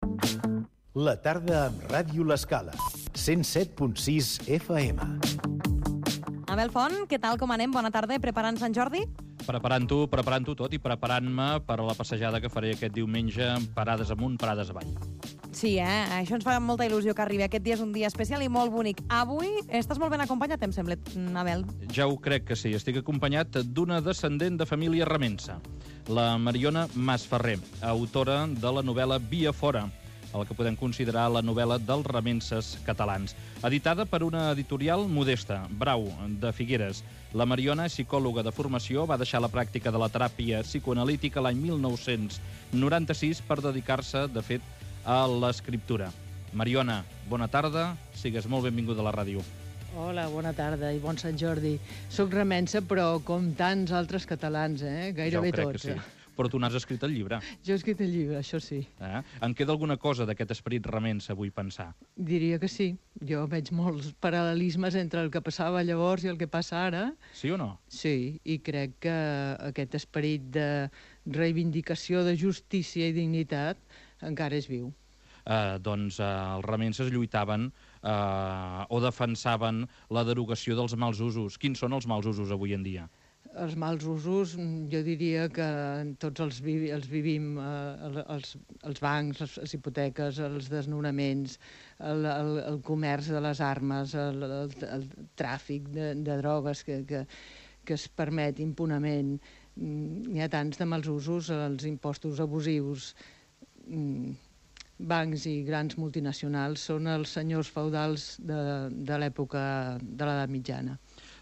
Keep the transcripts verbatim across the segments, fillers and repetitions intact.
La tarda amb Ràdio L'Escala, cent set punt sis F M. Abel Font, què tal, com anem? Bona tarda, preparant Sant Jordi? Preparant-ho, preparant-ho tot i preparant-me per a la passejada que faré aquest diumenge, parades amunt, parades avall. Sí, eh? Això ens fa molta il·lusió que arribi. Aquest dia és un dia especial i molt bonic. Avui estàs molt ben acompanyat, em sembla, Abel. Ja ho crec que sí. Estic acompanyat d'una descendent de família remensa, la Mariona Masferrer, autora de la novel·la Via Fora, el que podem considerar la novel·la dels remenses catalans. Editada per una editorial modesta, Brau, de Figueres. La Mariona, psicòloga de formació, va deixar la pràctica de la teràpia psicoanalítica l'any mil nou-cents noranta-sis per dedicar-se, de fet, a l'escriptura. Mariona, bona tarda, sigues molt benvinguda a la ràdio. Hola, bona tarda i bon Sant Jordi. Soc remensa, però com tants altres catalans, eh? Gairebé ja ho crec tots. Que sí. Però tu n'has escrit el llibre. Jo he escrit el llibre, això sí. Eh? En queda alguna cosa d'aquest esperit remensa, vull pensar? Diria que sí. Jo veig molts paral·lelismes entre el que passava llavors i el que passa ara. Sí o no? Sí, i crec que aquest esperit de reivindicació de justícia i dignitat encara és viu. Eh, doncs eh, els remenses lluitaven eh, o defensaven la derogació dels mals usos. Quins són els mals usos avui en dia? Els mals usos, jo diria que tots els, vi els vivim, eh, els, els bancs, les, les hipoteques, els desnonaments, el, el, el comerç de les armes, el, el, el tràfic de, de drogues que, que, que es permet impunament. N'hi ha tants de mals usos, els impostos abusius, bancs i grans multinacionals són els senyors feudals de, de l'època de l'edat mitjana.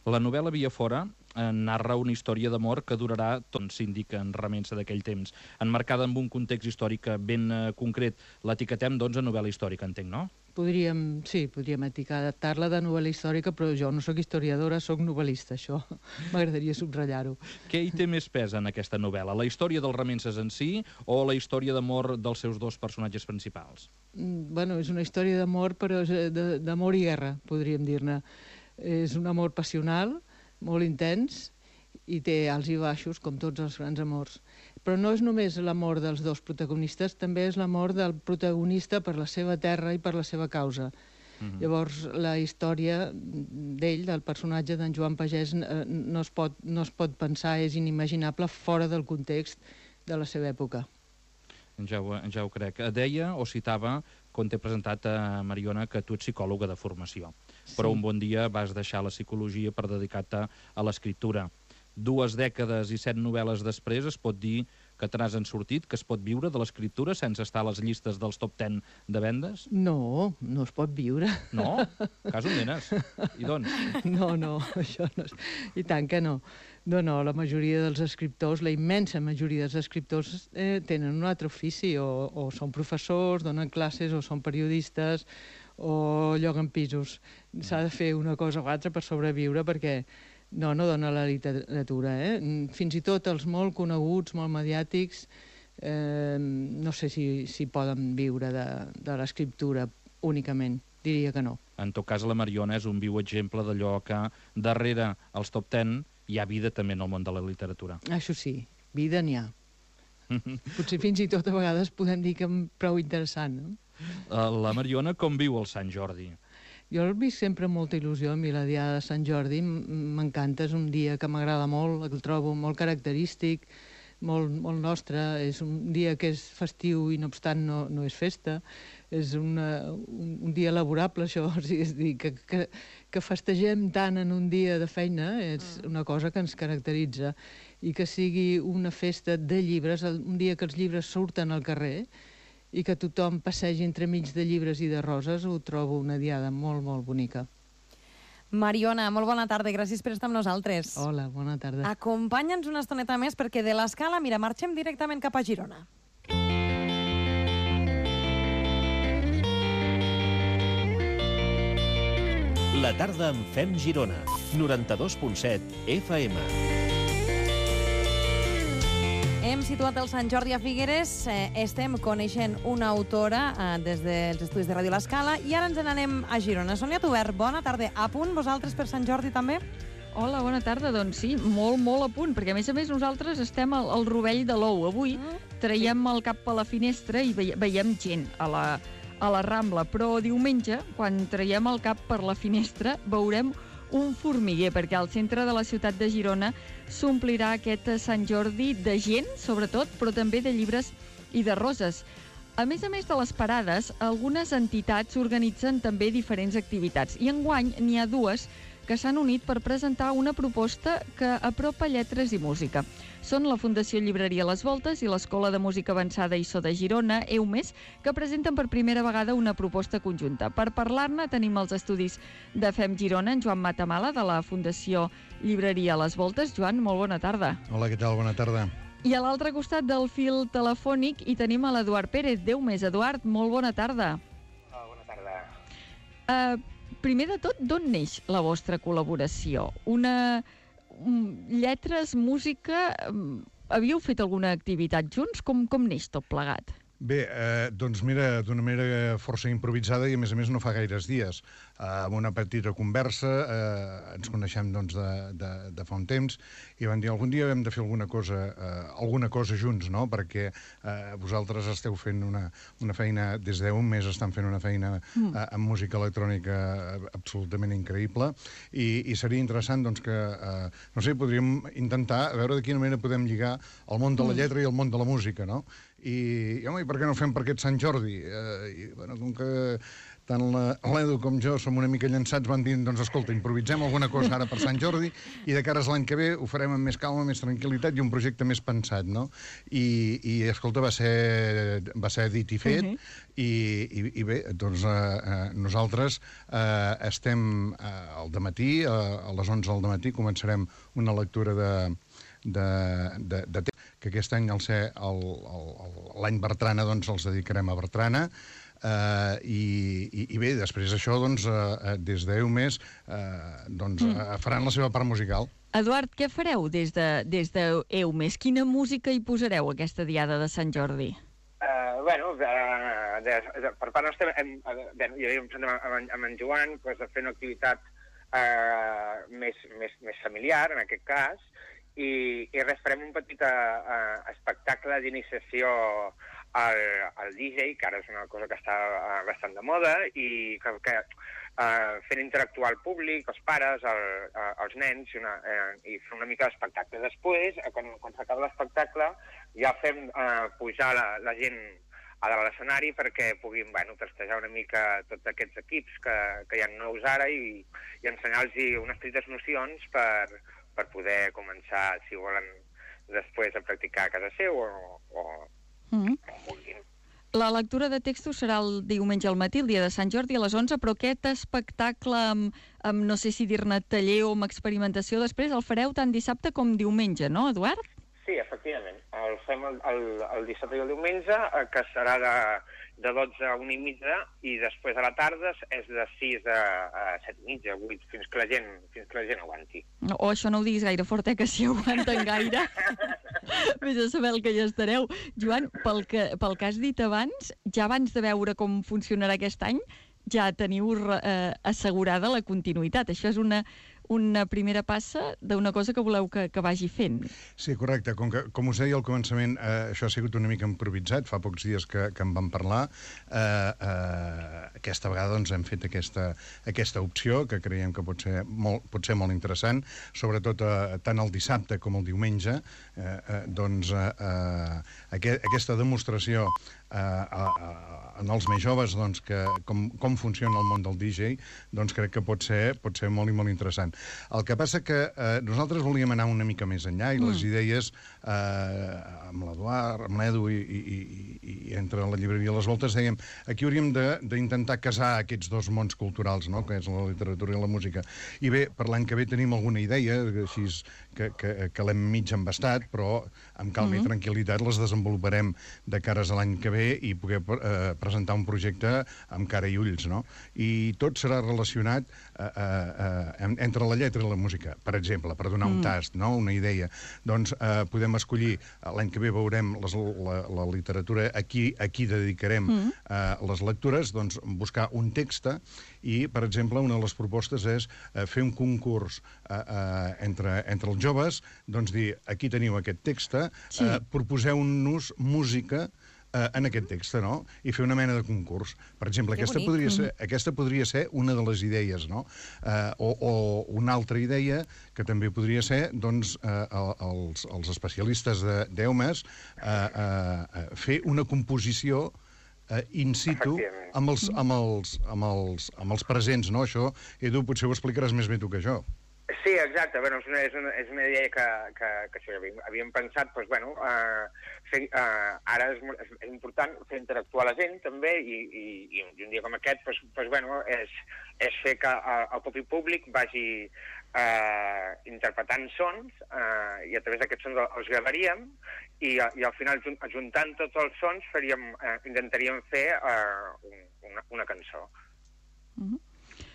La novel·la Via Fora eh, narra una història d'amor que durarà, tot s'indica en remensa d'aquell temps, enmarcada en un context històric ben eh, concret. L'etiquetem, doncs, a novel·la històrica, entenc, no? Podríem, sí, podríem etiquetar-la de novel·la històrica, però jo no sóc historiadora, sóc novel·lista, això m'agradaria subratllar-ho. Què hi té més pes en aquesta novel·la? La història dels remenses en si o la història d'amor dels seus dos personatges principals? Mm, bueno, és una història d'amor, però d'amor i guerra, podríem dir-ne. És un amor passional, molt intens, i té alts i baixos, com tots els grans amors. Però no és només l'amor dels dos protagonistes, també és l'amor del protagonista per la seva terra i per la seva causa. Mm-hmm. Llavors, la història d'ell, del personatge d'en Joan Pagès, no es pot, no es pot pensar, és inimaginable fora del context de la seva època. Ja ho, ja ho crec. Deia o citava, quan t'he presentat a Mariona, que tu ets psicòloga de formació. Sí. Però un bon dia vas deixar la psicologia per dedicar-te a l'escriptura. Dues dècades i set novel·les després es pot dir que te n'has en sortit, que es pot viure de l'escriptura sense estar a les llistes dels top ten de vendes? No, no es pot viure. No? Cas on nenes? I doncs? No, no, això no és... I tant que no. No, no, la majoria dels escriptors, la immensa majoria dels escriptors eh, tenen un altre ofici, o, o són professors, donen classes, o són periodistes, o lloguen pisos. S'ha de fer una cosa o altra per sobreviure, perquè no, no dona la literatura, eh? Fins i tot els molt coneguts, molt mediàtics, eh, no sé si, si poden viure de, de l'escriptura únicament, diria que no. En tot cas, la Mariona és un viu exemple d'allò que darrere els top ten hi ha vida també en el món de la literatura. Això sí, vida n'hi ha. Potser fins i tot a vegades podem dir que prou interessant, no? La Mariona com viu el Sant Jordi? Jo el visc sempre amb molta il·lusió. A mi la Diada de Sant Jordi m'encanta, és un dia que m'agrada molt, el trobo molt característic, molt, molt nostre, és un dia que és festiu i no obstant no, no és festa, és una, un, un dia laborable, això, és dir, que, que, que festegem tant en un dia de feina, és una cosa que ens caracteritza, i que sigui una festa de llibres, un dia que els llibres surten al carrer, i que tothom passegi entremig de llibres i de roses, ho trobo una diada molt, molt bonica. Mariona, molt bona tarda, gràcies per estar amb nosaltres. Hola, bona tarda. Acompanya'ns una estoneta més, perquè de l'Escala, mira, marxem directament cap a Girona. La tarda amb Fem Girona, noranta-dos punt set F M. Hem situat el Sant Jordi a Figueres, eh, estem coneixent una autora eh, des dels estudis de Ràdio L'Escala i ara ens n'anem a Girona. Sònia Tubert, bona tarda. A punt vosaltres per Sant Jordi també? Hola, bona tarda. Doncs sí, molt, molt a punt, perquè a més a més nosaltres estem al, al rovell de l'ou. Avui, traiem el cap a la finestra i veiem gent a la, a la Rambla, però diumenge, quan traiem el cap per la finestra, veurem un formiguer, perquè al centre de la ciutat de Girona s'omplirà aquest Sant Jordi de gent, sobretot, però també de llibres i de roses. A més a més de les parades, algunes entitats organitzen també diferents activitats, i enguany n'hi ha dues que s'han unit per presentar una proposta que apropa lletres i música. Són la Fundació Llibreria Les Voltes i l'Escola de Música Avançada I S O de Girona, EUMES, que presenten per primera vegada una proposta conjunta. Per parlar-ne tenim els estudis de Fem Girona, en Joan Matamala, de la Fundació Llibreria Les Voltes. Joan, molt bona tarda. Hola, què tal? Bona tarda. I a l'altre costat del fil telefònic hi tenim a l'Eduard Pérez, d'EUMES. Eduard, molt bona tarda. Hola, bona tarda. Uh, primer de tot, d'on neix la vostra col·laboració? Una... lletres, música... Havíeu fet alguna activitat junts? Com, com neix tot plegat? Bé, eh, doncs mira, d'una manera força improvisada i a més a més no fa gaires dies. Eh, amb una petita conversa, eh, ens coneixem doncs, de, de, de fa un temps i van dir algun dia hem de fer alguna cosa, eh, alguna cosa junts, no? Perquè eh, vosaltres esteu fent una, una feina, des d'un mes estan fent una feina eh, amb música electrònica absolutament increïble i, i seria interessant doncs, que, eh, no sé, podríem intentar a veure de quina manera podem lligar el món de la lletra i el món de la música, no? I, i home, i per què no fem per aquest Sant Jordi? Eh, i, bueno, com que tant l'Edu com jo som una mica llançats, van dir, doncs escolta, improvisem alguna cosa ara per Sant Jordi i de cares l'any que ve ho farem amb més calma, més tranquil·litat i un projecte més pensat, no? I, i escolta, va ser, va ser dit i fet, uh-huh. i, i, i bé, doncs eh, eh, nosaltres eh, estem eh, al dematí, eh, a les onze del dematí, començarem una lectura de de, de, de temps, que aquest any al ser l'any Bertrana doncs els dedicarem a Bertrana eh, i, i, i bé, després d'això doncs eh, des d'EUMES eh, doncs mm. faran la seva part musical. Eduard, què fareu des de, des d'EUMES? Quina música hi posareu aquesta diada de Sant Jordi? Uh, bueno, uh, de, de, per part nostra, hem, uh, bé, ja havíem presentat amb, amb, amb en Joan pues, de fer una activitat uh, més, més, més familiar, en aquest cas, i, i res, farem un petit uh, espectacle d'iniciació al, al D J, que ara és una cosa que està uh, bastant de moda, i que, que uh, fent interactuar el públic, els pares, el, uh, els nens, i, una, uh, i fer una mica d'espectacle. Després, uh, quan, quan s'acaba l'espectacle, ja fem uh, pujar la, la gent a dalt de l'escenari perquè puguin, bueno, testejar una mica tots aquests equips que, que hi ha nous ara i, i ensenyar-los unes petites nocions per per poder començar, si volen, després a practicar a casa seu o, o, mm-hmm. o vulguin. La lectura de textos serà el diumenge al matí, el dia de Sant Jordi, a les onze, però aquest espectacle amb, amb no sé si dir-ne taller o amb experimentació, després el fareu tant dissabte com diumenge, no, Eduard? Sí, efectivament. El fem el, el, el dissabte i el diumenge, que serà de, de dotze a una i mitja, i després a la tarda és de sis a, a set i mitja, vuit, fins que la gent, fins que la gent aguanti. O oh, això no ho diguis gaire fort, eh, que si aguanten gaire, vés a saber el que ja estareu. Joan, pel que, pel que has dit abans, ja abans de veure com funcionarà aquest any, ja teniu eh, assegurada la continuïtat. Això és una... una primera passa d'una cosa que voleu que, que vagi fent. Sí, correcte. Com, que, com us deia al començament, eh, això ha sigut una mica improvisat, fa pocs dies que, que en vam parlar. Eh, eh, aquesta vegada doncs, hem fet aquesta, aquesta opció, que creiem que pot ser molt, pot ser molt interessant, sobretot eh, tant el dissabte com el diumenge, eh, eh, doncs eh, eh, aquest, aquesta demostració eh, a, a, en els més joves doncs, que, com, com funciona el món del D J, doncs crec que pot ser, pot ser molt i molt interessant. El que passa que eh, nosaltres volíem anar una mica més enllà i mm. les idees eh, amb l'Eduard, amb l'Edu i, i, i, i entre la llibreria Les Voltes dèiem aquí hauríem d'intentar casar aquests dos mons culturals, no? Que és la literatura i la música. I bé, per l'any que ve tenim alguna idea, així que, que, que l'hem mig embastat, però amb calma mm. i tranquil·litat les desenvoluparem de cares a l'any que ve bé i poder eh, presentar un projecte amb cara i ulls, no? I tot serà relacionat eh, eh, entre la lletra i la música. Per exemple, per donar un tast, no? Una idea. Doncs eh, podem escollir, l'any que ve veurem les, la, la literatura, aquí, aquí dedicarem mm. eh, les lectures, doncs buscar un text i, per exemple, una de les propostes és eh, fer un concurs eh, eh, entre, entre els joves, doncs dir, aquí teniu aquest text, sí. eh, proposeu-nos música eh, en aquest text, no? I fer una mena de concurs. Per exemple, aquesta podria, ser, aquesta podria ser una de les idees, no? Eh, o, o una altra idea que també podria ser, doncs, eh, els, els especialistes d'Eumes eh, eh, fer una composició Uh, in situ amb els, amb, els, amb, els, amb els presents, no? Això, Edu, potser ho explicaràs més bé tu que jo. Sí, exacte. Bueno, és, una, és, una, és una idea que, que, que sí, havíem, havíem pensat, doncs, bueno, uh, fer, uh, ara és, és, és important fer interactuar la gent, també, i, i, i un dia com aquest, doncs, doncs, bueno, és, és fer que uh, el propi públic vagi Uh, interpretant sons uh, i a través d'aquests sons els gravaríem i, i al final ajuntant tots els sons faríem, uh, intentaríem fer uh, una, una cançó. Mm-hmm.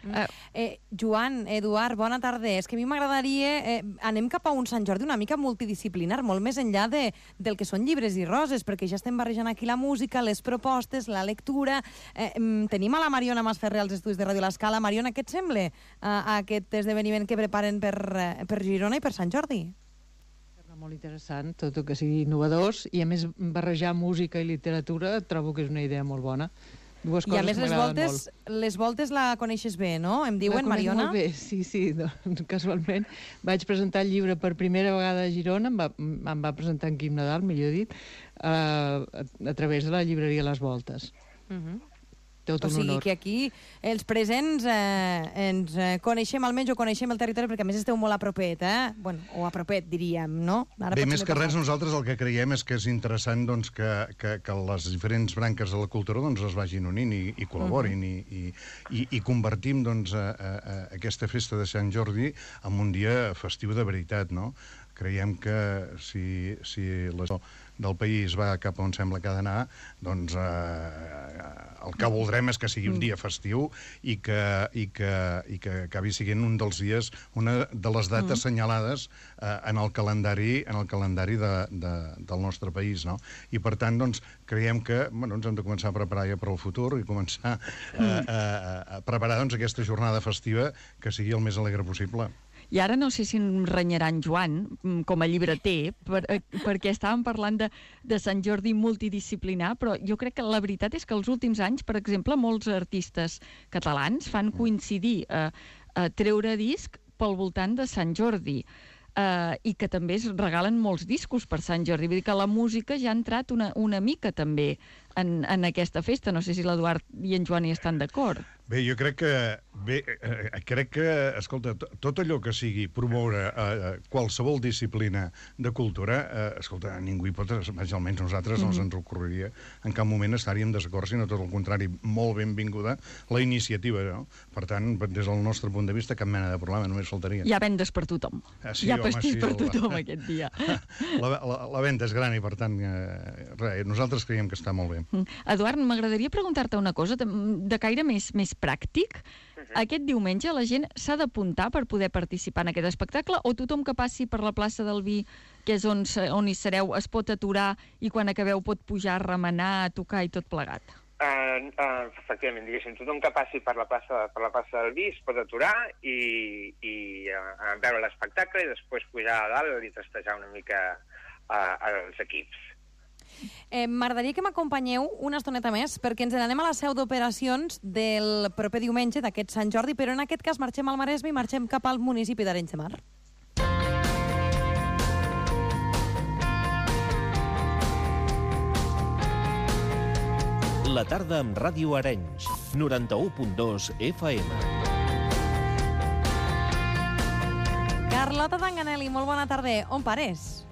Uh, eh, Joan, Eduard, bona tarda. És que a mi m'agradaria... Eh, anem cap a un Sant Jordi una mica multidisciplinar, molt més enllà de, del que són llibres i roses, perquè ja estem barrejant aquí la música, les propostes, la lectura... Eh, tenim a la Mariona Masferrer als estudis de Ràdio L'Escala. Mariona, què et sembla uh, aquest esdeveniment que preparen per, uh, per Girona i per Sant Jordi? Molt interessant, tot el que sigui innovadors, i a més barrejar música i literatura trobo que és una idea molt bona. Dues coses. I a més les voltes, les voltes la coneixes bé, no? Em diuen, Mariona? La conec molt bé, sí, sí. Doncs, casualment vaig presentar el llibre per primera vegada a Girona, em va, em va presentar en Quim Nadal, millor dit, a, a, a través de la llibreria Les Voltes. Uh-huh. Tot un o sigui honor. que aquí els presents eh, ens eh, coneixem, almenys o coneixem el territori, perquè a més esteu molt a propet, eh? Bueno, o a propet, diríem, no? Ara bé, més que res, nosaltres el que creiem és que és interessant doncs, que, que, que les diferents branques de la cultura doncs, es vagin unint i, i col·laborin uh-huh. i, i, i convertim doncs, a, a, a aquesta festa de Sant Jordi en un dia festiu de veritat, no? Creiem que si, si la del país va cap on sembla que ha d'anar, doncs eh, el que voldrem és que sigui un dia festiu i que, i que, i que acabi sent un dels dies, una de les dates mm. senyalades eh, en el calendari, en el calendari de, de, del nostre país, no? I per tant, doncs, creiem que bueno, ens hem de començar a preparar ja per al futur i començar eh, a, a preparar doncs, aquesta jornada festiva que sigui el més alegre possible. I ara no sé si em renyarà en Joan, com a llibreter, per, perquè estàvem parlant de, de Sant Jordi multidisciplinar, però jo crec que la veritat és que els últims anys, per exemple, molts artistes catalans fan coincidir a, a treure disc pel voltant de Sant Jordi. Uh, i que també es regalen molts discos per Sant Jordi. Vull dir que la música ja ha entrat una, una mica també en, en aquesta festa. No sé si l'Eduard i en Joan hi estan d'acord. Bé, jo crec que, bé, eh, crec que, escolta, tot allò que sigui promoure eh, qualsevol disciplina de cultura, eh, escolta, ningú hi pot, almenys nosaltres mm-hmm. no ens ocorreria en cap moment estaríem desacord, sinó tot el contrari, molt benvinguda la iniciativa, no? Per tant, des del nostre punt de vista, cap mena de problema, només faltaria. Hi ha vendes per tothom. Ah, sí, hi ha home, pastís sí, per la... tothom aquest dia. La, la, la venda és gran i, per tant, eh, res, nosaltres creiem que està molt bé. Mm. Eduard, m'agradaria preguntar-te una cosa de, de caire més, més pràctic. Uh-huh. Aquest diumenge la gent s'ha d'apuntar per poder participar en aquest espectacle o tothom que passi per la plaça del Vi, que és on, on hi sereu, es pot aturar i quan acabeu pot pujar, remenar, tocar i tot plegat? Uh, uh, efectivament, diguéssim, tothom que passi per la plaça, per la plaça del Vi es pot aturar i, i uh, veure l'espectacle i després pujar a dalt i testejar una mica uh, els equips. Eh, M'agradaria que m'acompanyeu una estoneta més perquè ens n'anem a la seu d'operacions del proper diumenge d'aquest Sant Jordi, però en aquest cas marxem al Maresme i marxem cap al municipi d'Arenys de Mar. La tarda amb Ràdio Arenys, noranta-u punt dos F M. Carlota Tanganelli, molt bona tarda. On pares?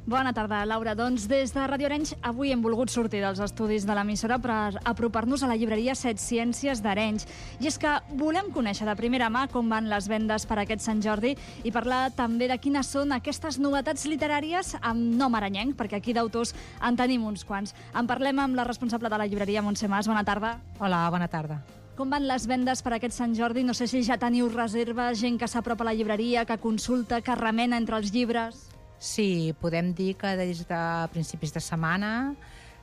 Bona tarda, Laura. Doncs des de Ràdio Arenys avui hem volgut sortir dels estudis de l'emissora per apropar-nos a la llibreria Set Ciències d'Arenys. I és que volem conèixer de primera mà com van les vendes per aquest Sant Jordi i parlar també de quines són aquestes novetats literàries amb nom arenyenc, perquè aquí d'autors en tenim uns quants. En parlem amb la responsable de la llibreria, Montse Mas. Bona tarda. Hola, bona tarda. Com van les vendes per aquest Sant Jordi? No sé si ja teniu reserves, gent que s'apropa a la llibreria, que consulta, que remena entre els llibres. Sí, podem dir que des de principis de setmana,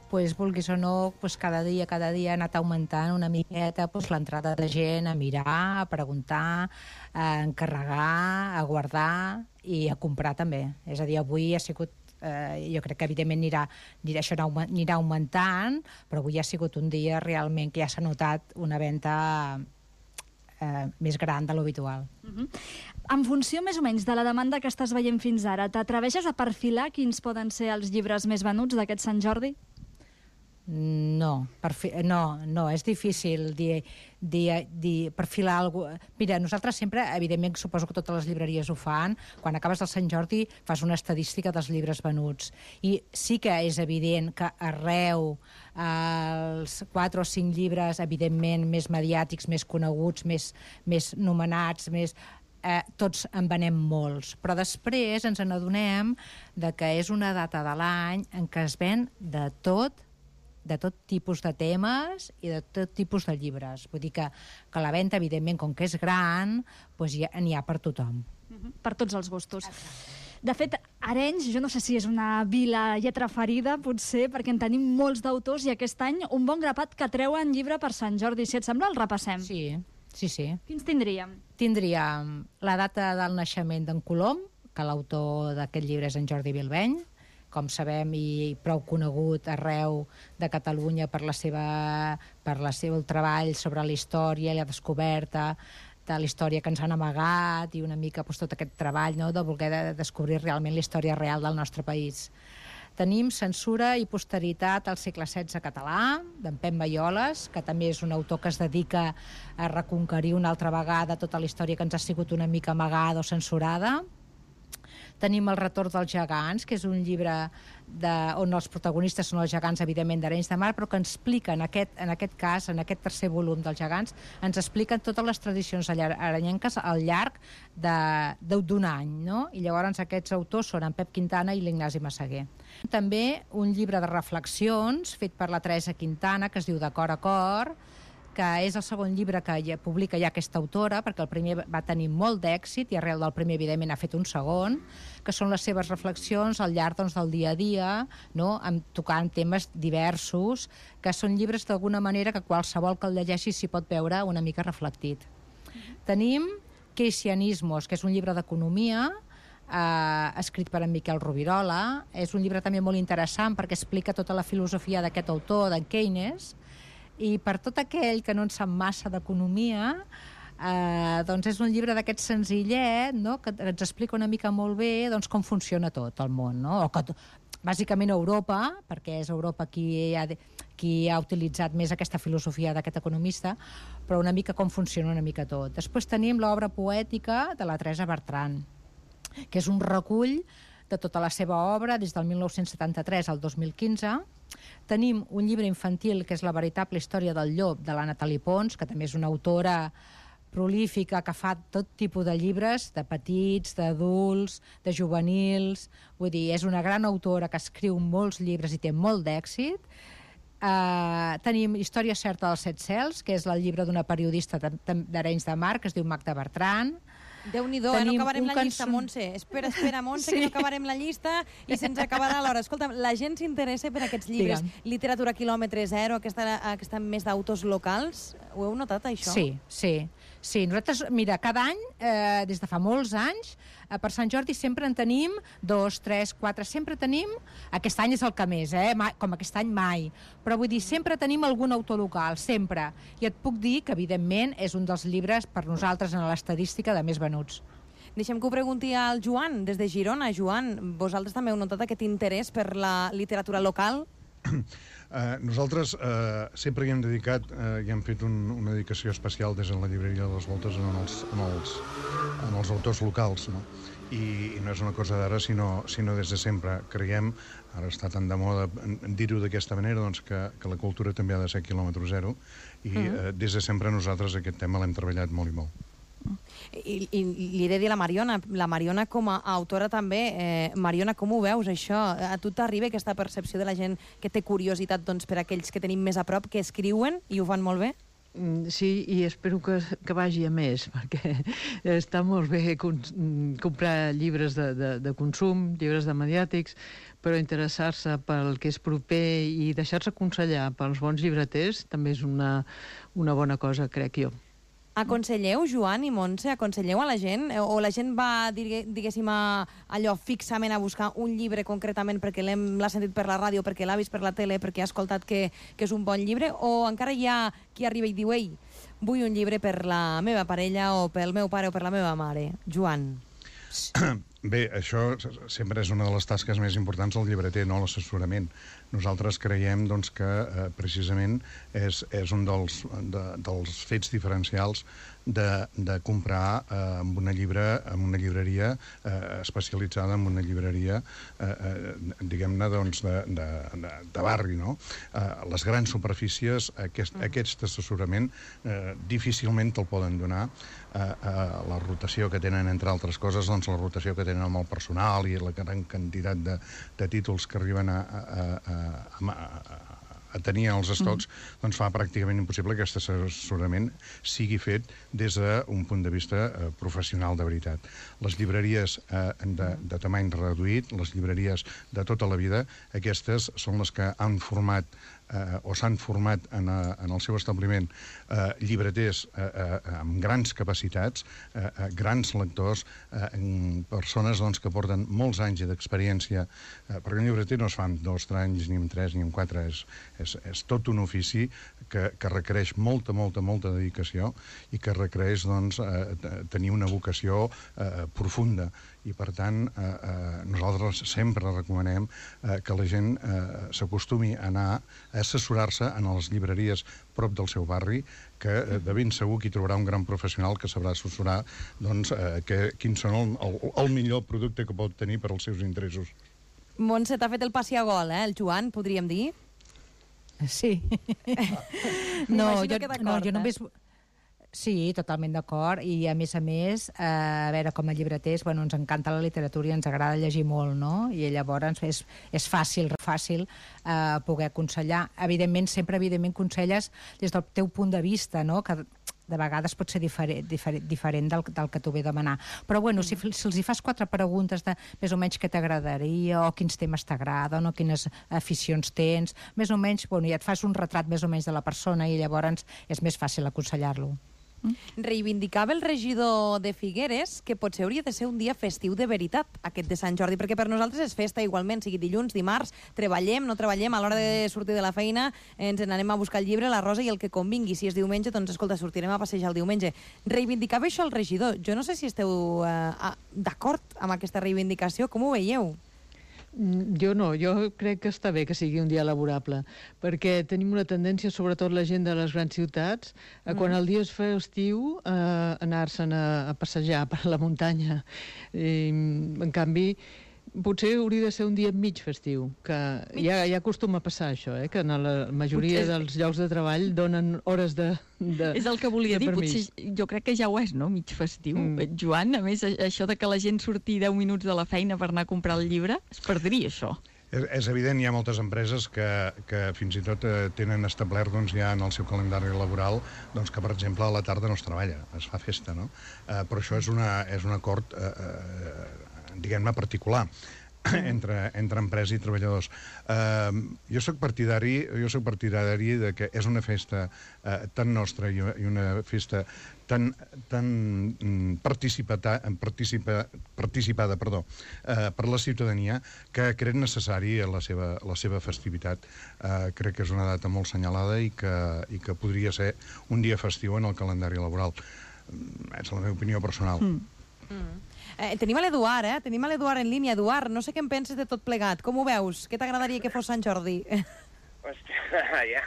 pues, vulguis o no, pues, cada dia cada dia ha anat augmentant una miqueta pues, l'entrada de gent a mirar, a preguntar, a encarregar, a guardar i a comprar també. És a dir, avui ha sigut, eh, jo crec que evidentment anirà, anirà, això anirà augmentant, però avui ha sigut un dia realment que ja s'ha notat una venda eh, més gran de l'habitual. Uh-huh. En funció més o menys de la demanda que estàs veient fins ara, t'atreveixes a perfilar quins poden ser els llibres més venuts d'aquest Sant Jordi? No, perfi no, no, és difícil dir, dir, dir, perfilar alguna cosa. Mira, nosaltres sempre, evidentment, suposo que totes les llibreries ho fan, quan acabes el Sant Jordi fas una estadística dels llibres venuts. I sí que és evident que arreu els quatre o cinc llibres, evidentment, més mediàtics, més coneguts, més, més nomenats, més... Eh, tots en venem molts, però després ens n'adonem de que és una data de l'any en què es ven de tot, de tot tipus de temes i de tot tipus de llibres. Vull dir que, que la venda, evidentment, com que és gran, doncs ja, n'hi ha per tothom. Uh-huh. Per tots els gustos. De fet, Arenys, jo no sé si és una vila lletra ferida, potser, perquè en tenim molts d'autors i aquest any un bon grapat que treuen llibre per Sant Jordi. Si et sembla, el repassem. Sí. Sí, sí. Quins tindríem? Tindríem la data del naixement d'en Colom, que l'autor d'aquest llibre és en Jordi Bilbeny, com sabem, i prou conegut arreu de Catalunya per la seva, per la seva treball sobre la història i la descoberta de la història que ens han amagat i una mica pues, tot aquest treball, no?, de voler de descobrir realment la història real del nostre país. Tenim Censura i posteritat al segle setze català, d'en Pep Maioles, que també és un autor que es dedica a reconquerir una altra vegada tota la història que ens ha sigut una mica amagada o censurada. Tenim El retorn dels gegants, que és un llibre de, on els protagonistes són els gegants, evidentment, d'Arenys de Mar, però que ens expliquen, en aquest, en aquest cas, en aquest tercer volum dels gegants, ens expliquen totes les tradicions arenyenques al llarg d'un any, no? I llavors aquests autors són en Pep Quintana i l'Ignasi Massaguer. També un llibre de reflexions fet per la Teresa Quintana, que es diu De cor a cor, que és el segon llibre que ja publica ja aquesta autora, perquè el primer va tenir molt d'èxit i arrel del primer, evidentment, ha fet un segon, que són les seves reflexions al llarg doncs, del dia a dia, no? Amb, tocant temes diversos, que són llibres d'alguna manera que qualsevol que el llegeixi s'hi pot veure una mica reflectit. Mm-hmm. Tenim Keynesianismos, que és un llibre d'economia, eh, escrit per en Miquel Rovirola. És un llibre també molt interessant perquè explica tota la filosofia d'aquest autor, d'en Keynes, i per tot aquell que no en sap massa d'economia, eh, doncs és un llibre d'aquest senzillet, no?, que ens explica una mica molt bé doncs, com funciona tot el món, no? O que, bàsicament Europa, perquè és Europa qui ha, qui ha utilitzat més aquesta filosofia d'aquest economista, però una mica com funciona una mica tot. Després tenim l'obra poètica de la Teresa Bertran, que és un recull de tota la seva obra des del mil nou-cents setanta-tres al dos mil quinze. Tenim un llibre infantil que és La veritable història del llop, de la Nathalie Pons, que també és una autora prolífica que fa tot tipus de llibres, de petits, d'adults, de juvenils. Vull dir, és una gran autora que escriu molts llibres i té molt d'èxit. Uh, tenim Història certa dels set cels, que és el llibre d'una periodista d'Arenys de Mar, que es diu Magda Bertran. Déu-n'hi-do, eh? No acabarem la llista, Montse. Espera, espera, Montse, sí, que no acabarem la llista i se'ns acabarà l'hora. Escolta, la gent s'interessa per aquests llibres. Digue'm. Literatura quilòmetre zero, aquesta, aquesta més d'autors locals. Ho heu notat, això? Sí, sí. Sí, nosaltres, mira, cada any, eh, des de fa molts anys, eh, per Sant Jordi sempre en tenim dos, tres, quatre, sempre tenim, aquest any és el que més, eh, mai, com aquest any mai, però vull dir, sempre tenim algun autor local, sempre. I et puc dir que, evidentment, és un dels llibres per nosaltres en l'estadística de més venuts. Deixem que ho pregunti al Joan, des de Girona. Joan, vosaltres també heu notat aquest interès per la literatura local? Uh, nosaltres uh, sempre hi hem dedicat uh, i hem fet un, una dedicació especial des de la llibreria de les Voltes en els, en els, en els autors locals, no? I, i no és una cosa d'ara, sinó, sinó des de sempre. Creiem, ara està tan de moda dir-ho d'aquesta manera, doncs que, que la cultura també ha de ser quilòmetre zero, i mm. uh, des de sempre nosaltres aquest tema l'hem treballat molt i molt. I, i li he de dir a la Mariona, la Mariona com a autora també, eh, Mariona, com ho veus això? A tu t'arriba aquesta percepció de la gent que té curiositat, doncs, per aquells que tenim més a prop, que escriuen i ho fan molt bé? Sí, i espero que, que vagi a més, perquè està molt bé comprar llibres de, de, de consum, llibres de mediàtics, però interessar-se pel que és proper i deixar-se aconsellar pels bons llibreters també és una, una bona cosa, crec jo. Aconselleu, Joan i Montse, aconselleu a la gent? O la gent va, diguéssim, a, allò fixament a buscar un llibre concretament perquè l'ha sentit per la ràdio, perquè l'ha vist per la tele, perquè ha escoltat que, que és un bon llibre? O encara hi ha qui arriba i diu, ei, vull un llibre per la meva parella o pel meu pare o per la meva mare? Joan. Bé, això sempre és una de les tasques més importants del llibreter, no l'assessorament. Nosaltres creiem doncs, que eh, precisament és, és un dels, de, dels fets diferencials de, de comprar eh, amb una llibre, amb una llibreria eh, especialitzada, en una llibreria eh, eh, diguem-ne doncs, de, de, de, de barri, no? Eh, les grans superfícies, aquest, aquest assessorament eh, difícilment te'l poden donar. Eh, eh, la rotació que tenen, entre altres coses, doncs la rotació que tenen amb el personal i la gran quantitat de, de títols que arriben a, a, a, a, a, a tenir els estocs, mm. doncs fa pràcticament impossible que aquest assessorament sigui fet des d'un punt de vista eh, professional de veritat. Les llibreries eh, de, de tamany reduït, les llibreries de tota la vida, aquestes són les que han format Eh, o s'han format en, a, en el seu establiment eh, llibreters eh, eh, amb grans capacitats, eh, eh, grans lectors, eh, persones doncs, que porten molts anys d'experiència, eh, perquè un llibreter no es fa en dos, tres anys, ni en tres, ni en quatre, és, és, és tot un ofici que, que requereix molta, molta, molta dedicació i que requereix doncs, eh, tenir una vocació eh, profunda. I, per tant, eh, eh, nosaltres sempre recomanem eh, que la gent eh, s'acostumi a anar a assessorar-se en les llibreries prop del seu barri, que eh, de ben segur que hi trobarà un gran professional que sabrà assessorar doncs, eh, que, quins són el, el, el millor producte que pot tenir per als seus interessos. Montse, t'ha fet el passi a gol, eh? El Joan, podríem dir? Sí. no, jo, no, jo només... Eh? Sí, totalment d'acord, i a més a més, eh, a veure, com a llibreters, bueno, ens encanta la literatura i ens agrada llegir molt, no? I llavors és, és fàcil, fàcil eh, poder aconsellar. Evidentment, sempre, evidentment, conselles des del teu punt de vista, no?, que de vegades pot ser diferent, diferent, diferent del, del que t'ho ve demanar. Però, bueno, si, si els hi fas quatre preguntes de més o menys què t'agradaria, o quins temes t'agraden, o quines aficions tens, més o menys, bueno, ja et fas un retrat més o menys de la persona i llavors és més fàcil aconsellar-lo. Reivindicava el regidor de Figueres que potser hauria de ser un dia festiu de veritat, aquest de Sant Jordi, perquè per nosaltres és festa igualment, sigui dilluns, dimarts, treballem, no treballem, a l'hora de sortir de la feina ens n'anem a buscar el llibre, la rosa i el que convingui. Si és diumenge, doncs escolta, sortirem a passejar el diumenge. Reivindicava això el regidor. Jo no sé si esteu eh, d'acord amb aquesta reivindicació, com ho veieu? Jo no, jo crec que està bé que sigui un dia laborable, perquè tenim una tendència, sobretot la gent de les grans ciutats, a quan el dia es fa estiu, a anar-se'n a, a passejar per la muntanya. I, en canvi, potser hauria de ser un dia mig festiu, que ja, ja acostuma a passar això, eh? Que en la majoria potser... dels llocs de treball donen hores de, de És el que volia dir, potser jo crec que ja ho és, no?, mig festiu. Mm. Joan, a més, això de que la gent surti deu minuts de la feina per anar a comprar el llibre, es perdria això. És, és evident, hi ha moltes empreses que, que fins i tot eh, tenen establert doncs, ja en el seu calendari laboral doncs, que, per exemple, a la tarda no es treballa, es fa festa, no? Eh, però això és, una, és un acord eh, eh, diguem-ne, particular entre, entre empresa i treballadors. Uh, jo soc partidari, jo soc partidari de que és una festa uh, tan nostra i, i una festa tan, tan mm, participata, participa, participada perdó, uh, per la ciutadania que crec necessari la seva, la seva festivitat. Uh, crec que és una data molt senyalada i que, i que podria ser un dia festiu en el calendari laboral. Uh, és la meva opinió personal. Mm. Mm. Eh, tenim a l'Eduard, eh? Tenim a l'Eduard en línia. Eduard, no sé què en penses de tot plegat. Com ho veus? Què t'agradaria que fos Sant Jordi? Hòstia, ja...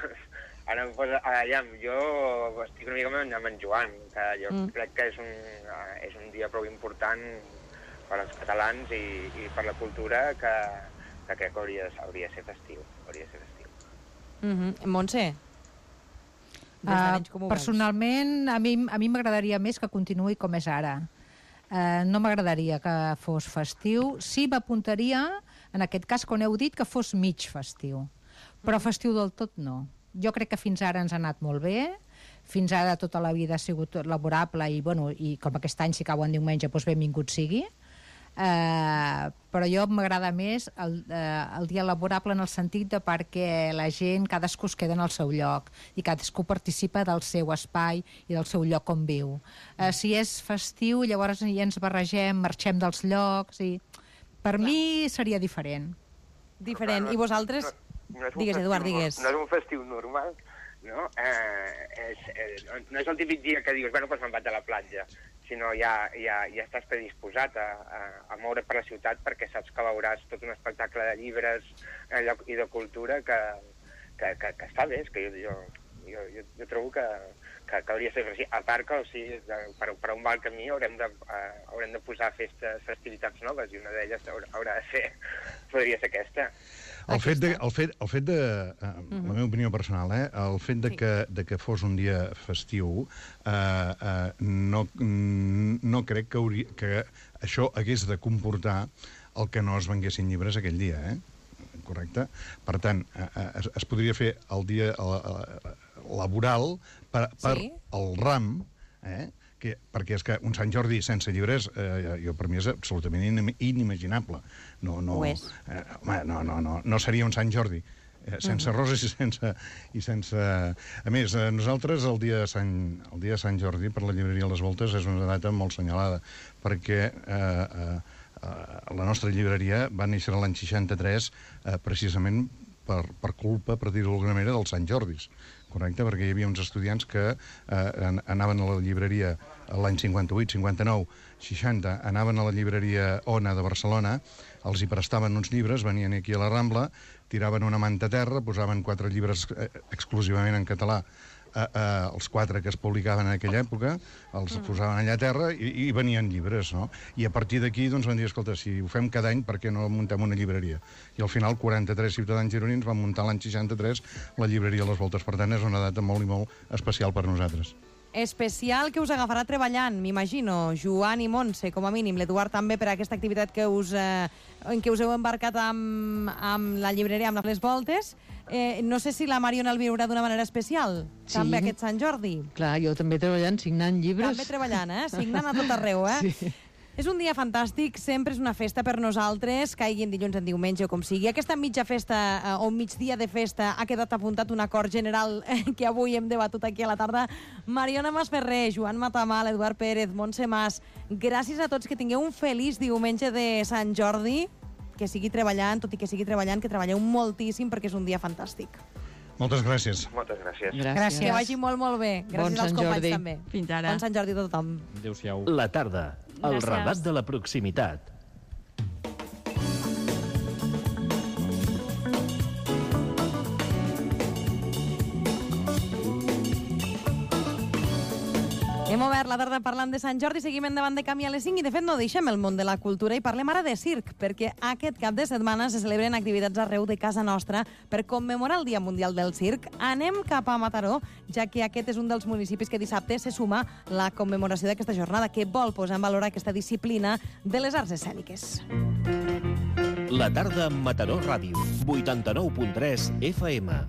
Ara, pues, aviam, jo estic una mica amb en Joan, que jo mm. crec que és un, és un dia prou important per als catalans i, i per la cultura que, que crec que hauria, hauria de ser festiu. Hauria de ser festiu. Mm-hmm. Montse? Uh, personalment, a mi a mi m'agradaria més que continuï com és ara. Uh, no m'agradaria que fos festiu. Sí, m'apuntaria, en aquest cas, quan heu dit, que fos mig festiu. Però festiu del tot no. Jo crec que fins ara ens ha anat molt bé, fins ara tota la vida ha sigut laborable i, bueno, i com aquest any si cau en diumenge, doncs benvingut sigui. Uh, però jo m'agrada més el, uh, el dia laborable en el sentit de perquè la gent, cadascú es queda en el seu lloc i cadascú participa del seu espai i del seu lloc on viu. Uh, si és festiu, llavors ja ens barregem, marxem dels llocs i per Clar. mi seria diferent. Diferent. I vosaltres... No, no digues, Eduard, digues. No és un festiu normal, no? Eh, és, eh, no és el típic dia que dius, bueno, doncs me'n vaig a la platja, sinó ja, ja, ja estàs predisposat a, a, a moure per la ciutat perquè saps que veuràs tot un espectacle de llibres eh, i de cultura que, que, que, que està bé, és que jo, jo, jo, jo, jo trobo que, que, que hauria de ser així. A part que, o sigui, per, per un mal camí haurem de, uh, haurem de posar festes, festivitats noves i una d'elles haurà, haurà de ser, podria ser aquesta. El fet de, el fet, el fet de uh, uh-huh. la meva opinió personal, eh, el fet de, sí. que, de que fos un dia festiu, uh, uh, no, no crec que, hauria, que això hagués de comportar el que no es venguessin llibres aquell dia, eh? Correcte? Per tant, uh, es, es podria fer el dia uh, laboral per, per sí. el ram, eh? Que, perquè és que un Sant Jordi sense llibres eh, jo per mi és absolutament in, inimaginable. No, no, Ho és. Eh, home, no, no, no, no seria un Sant Jordi. Eh, sense uh -huh. roses i sense, i sense... A més, eh, nosaltres el dia, de Sant, el dia de Sant Jordi per la llibreria Les Voltes és una data molt senyalada, perquè eh, eh, la nostra llibreria va néixer l'any seixanta-tres eh, precisament per, per culpa, per dir-ho d'alguna manera, dels Sant Jordis. Correcte? Perquè hi havia uns estudiants que eh, anaven a la llibreria l'any cinquanta-vuit, cinquanta-nou, seixanta, anaven a la llibreria Ona de Barcelona, els hi prestaven uns llibres, venien aquí a la Rambla, tiraven una manta a terra, posaven quatre llibres eh, exclusivament en català, eh, eh, els quatre que es publicaven en aquella època, els mm. posaven allà a terra i, i venien llibres, no? I a partir d'aquí doncs, van dir, escolta, si ho fem cada any, per què no muntem una llibreria? I al final quaranta-tres ciutadans gironins van muntar l'any seixanta-tres la llibreria Les Voltes. Per tant, és una data molt i molt especial per nosaltres. Especial que us agafarà treballant, m'imagino, Joan i Montse, com a mínim, l'Eduard també per aquesta activitat que us, eh, en què us heu embarcat amb, amb la llibreria, amb Les Voltes. Eh, no sé si la Mariona el viurà d'una manera especial, sí. també aquest Sant Jordi. Clar, jo també treballant, signant llibres. També treballant, eh? Signant a tot arreu, eh? Sí. És un dia fantàstic, sempre és una festa per nosaltres, caiguin dilluns en diumenge o com sigui. Aquesta mitja festa eh, o migdia de festa ha quedat apuntat un acord general eh, que avui hem debatut aquí a la tarda. Mariona Masferrer, Joan Matamal, Eduard Pérez, Montse Mas, gràcies a tots, que tingueu un feliç diumenge de Sant Jordi, que sigui treballant, tot i que sigui treballant, que treballeu moltíssim perquè és un dia fantàstic. Moltes gràcies. Moltes gràcies. Gràcies. Que vagi molt, molt bé. Gràcies bon als companys Jordi. també. Fins ara. Bon Sant Jordi a tothom. Adéu-siau. La tarda, el Gràcies. relat de la proximitat. Hem obert la tarda parlant de Sant Jordi, seguim endavant de camí a les cinc i, de fet, no deixem el món de la cultura i parlem ara de circ, perquè aquest cap de setmana se celebren activitats arreu de casa nostra per commemorar el Dia Mundial del Circ. Anem cap a Mataró, ja que aquest és un dels municipis que dissabte se suma la commemoració d'aquesta jornada, que vol posar en valor aquesta disciplina de les arts escèniques. La tarda amb Mataró Ràdio, vuitanta-nou punt tres F M.